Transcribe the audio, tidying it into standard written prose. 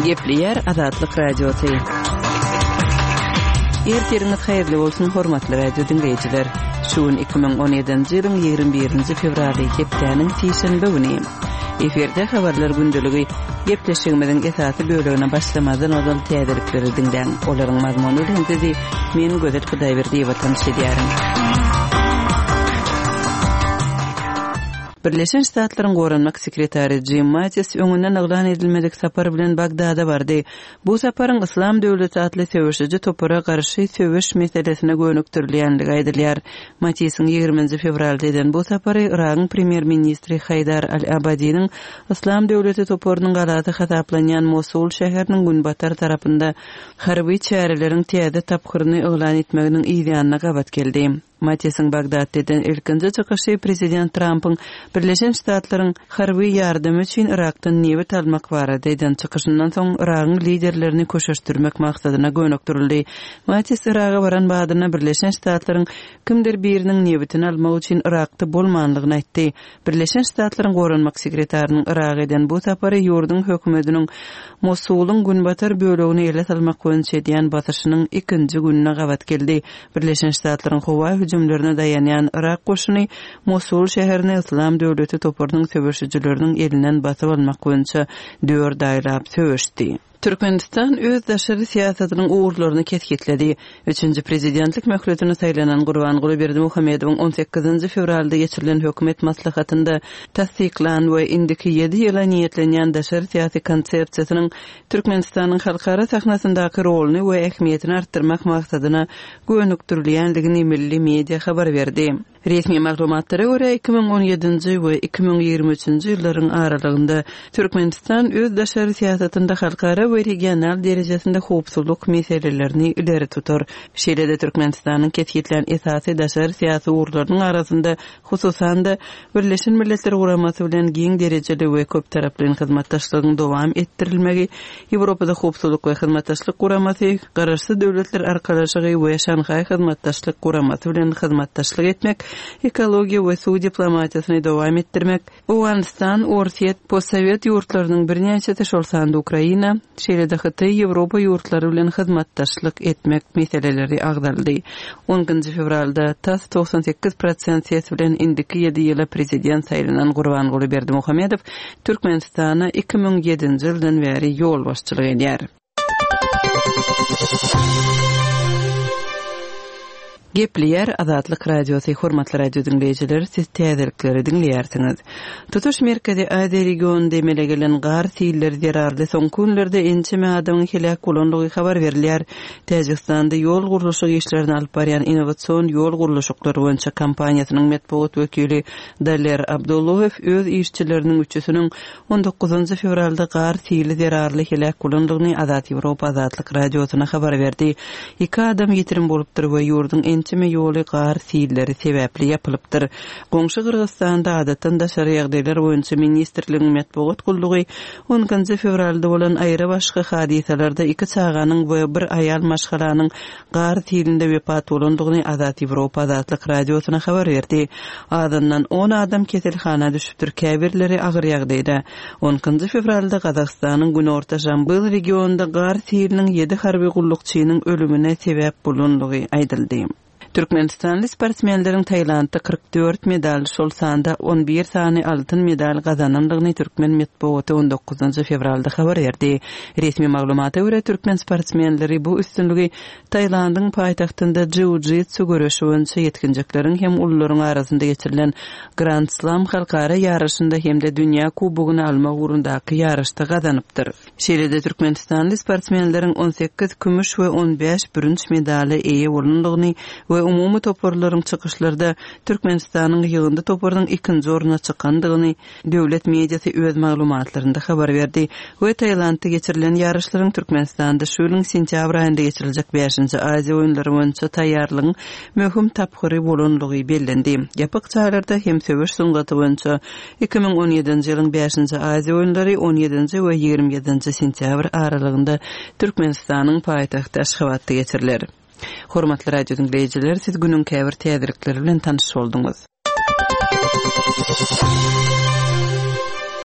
Gepleýär Azatlyk Radiosy. Ertiriňiz haýyrly bolsun, hormatly radio diňleýjiler. Şu gün 2017-nji ýylyň 21-nji fewraly, hepdäniň sişenbe güni. Efirde habarlar gündeligi. Gepleşigimiziň esasy bölegine başlamazdan ozal täzelikleri diňläň. Olaryň mazmuny bilen sizi men Gözel Hudaýberdiýewa tanyş edýärin. Birleşen Ştatlaryň Goranmak sekretary Jim Mattis öňünden yglan edilmedik sapar bilen Bagdada bardy. Bu saparyň Yslam döwleti atly söweşiji topara garşy söweş meselesine gönükdirilýänligi aýdylýar. Mattisiň ýigriminji fewralda eden bu sapary Yragyň premýer-ministri Haýdar al-Abadiniň Yslam döwleti toparynyň galasy hasaplanýan Mosul şäheriniň günbatar tarapynda harby çäreleriň täze tapgyryny yglan etmeginiň yzýanyna gabat geldi. Mattisiň Bagdatda eden ilkinji çykyşy prezident Trampyň Birleşen Ştatlaryň harby ýardamy üçin Yrakdan nebit almak barada eden çykyşyndan soň Yragyň liderlerini köşeşdirmek maksadyna gönükdirildi. Mattis Yraga baran badyna Birleşen Ştatlaryň kimdir biriniň nebitini almak üçin Yrakda bolmanlygyny aýtdy. Birleşen Ştatlaryň Goranmak sekretarynyň Yraga eden bu sapary ýurduň hökümetiniň Mosulyň günbatar bölegini ele salmak boýunça edýän basyşynyň ikinji gününe gabat geldi. Birleşen Ştatlaryň howa hüjümlerine daýanýan Yrak goşuny Mosul şäherini Yslam döwleti toparynyň söweşijileriniň elinden basyp almak boýunça dört aýlap söweşdi. Türkmenistan öz daşary syýasatynyň ugurlaryny kesgitledi. Üçünji prezidentlik möhletine saýlanan Gurbanguly Berdimuhamedowyň on sekizinji fewralda geçirilen hökümet maslahatynda tassyklan we indiki ýedi ýyla niýetlenýän daşary syýasy konsepsiýasynyň Türkmenistanyň halkara sahnasyndaky roluny we ähmiýetini artdyrmak maksadyna gönükdirilýändigini milli media habar berdi. Resmi maglumatlara görä, 2017-nji we 2023-nji ýyllaryň aralygynda Türkmenistan öz daşary syýasatynda halkara we regional derejesinde howpsuzlyk meselelerini ileri tutar. Şeýle-de Türkmenistanyň kesgitlän esasy daşary syýasy ugurlarynyň arasynda, hususan-da, Birleşen Milletler Guramasy bilen giň derejeli we köptaraplaýyn hyzmatdaşlygyň dowam etdirilmegi, Ýewropada Howpsuzlyk we Hyzmatdaşlyk Guramasy, Garaşsyz Döwletler Arkalaşygy we Şanhaý Hyzmatdaşlyk Guramasy bilen hyzmatdaşlyk etmek, ekologiýa we suw diplomatiýasyny dowam etdirmek, Owganystan, Orsýet, postsowet ýurtlarynyň birnäçesi, şol sanda Ukraina, şeýle-de Hytaý, Ýewropa ýurtlary bilen hyzmatdaşlyk etmek meseleleri agzaldy. On ikinji fewralda tas 98 prosent ses bilen indiki ýedi ýyla prezident saýlanan Gurbanguly Berdimuhamedow Türkmenistana 2007-nji ýyldan bäri ýolbaşçylyk edýär. Gepleýär Azatlyk Radiosy, Hormatly radio diňleýjiler, siz täzelikleri diňleýärsiňiz. Tutuş Merkezi Aziýa regionynda emele gelen gar silleri zerarly soňky günlerde ençeme adamyň heläk bolandygy habar berilýär. Täjigistanda ýol gurluşyk işlerini alyp barýan Innowasion ýol gurluşyklary boýunça kompaniýasynyň metbugat wekili Daler Abdulloýew öz işçileriniň üçüsiniň on dokuzynjy fewralda gar sili zerarly heläk bolandygyny Azat Ýewropa Azatlyk Radiosyna habar berdi. Iki adam ýitirim bolupdyr we ýurduň ençeme ýoly gar silleri sebäpli ýapylypdyr. Goňşy Gyrgyzystanda Adatdan daşary ýagdaýlar boýunça ministrligiň metbugat gullugy on ikinji fewralda bolan aýra-başga hadysalarda iki çaganyň we bir aýal maşgalanyň gar silinde wepat bolandygyny Azat Ýewropa Azatlyk Radiosyna habar berdi. Azyndan on adam keselhana düşüpdir, käbirleri agyr ýagdaýda. On ikinji fewralda Gazagystanyň günorta Žambyl regionynda gar siliniň ýedi harby gullukçynyň ölümine sebäp bolandygy aýdyldy. Türkmenistanly sportsmenleriň Tailandda 44 medal, şol sanda 11 sany altyn medal gazanandygyny türkmen metbugaty on dokuzynjy fewralda habar berdi. Resmi maglumata görä, türkmen sportsmenleri bu üstünligi Tailandyň paýtagtynda jiu-jitsu göreşi boýunça ýetginjekleriň hem ulularyň arasynda geçirilen Grand Slam halkara ýaryşynda hem-de dünýä kubogyny almak ugrundaky ýaryşda gazanypdyr. Şeýle-de türkmenistanly sportsmenleriň 18 kümüş we 15 bürünç medala eýe bolandygyny we umumy toparlaryň çykyşlarda Türkmenistanyň ýygyndy toparynyň ikinji orna çykandygyny döwlet mediasy öz maglumatlarynda habar berdi we Tailandda geçirilen ýaryşlaryň Türkmenistanda şu ýylyň sentýabr aýynda geçiriljek bäşinji Aziýa oýunlary boýunça taýýarlygyň möhüm tapgyry bolandygy bellendi. Ýapyk jaýlarda hem söweş sungaty boýunça 2017-nji ýylyň bäşinji Aziýa oýunlary on ýedinji we 27-nji sentýabr aralygynda Türkmenistanyň paýtagty Aşgabatda geçiriler. Hormatly radio diňleýjiler, siz günüň käbir täzelikleri bilen tanyş bolduňyz.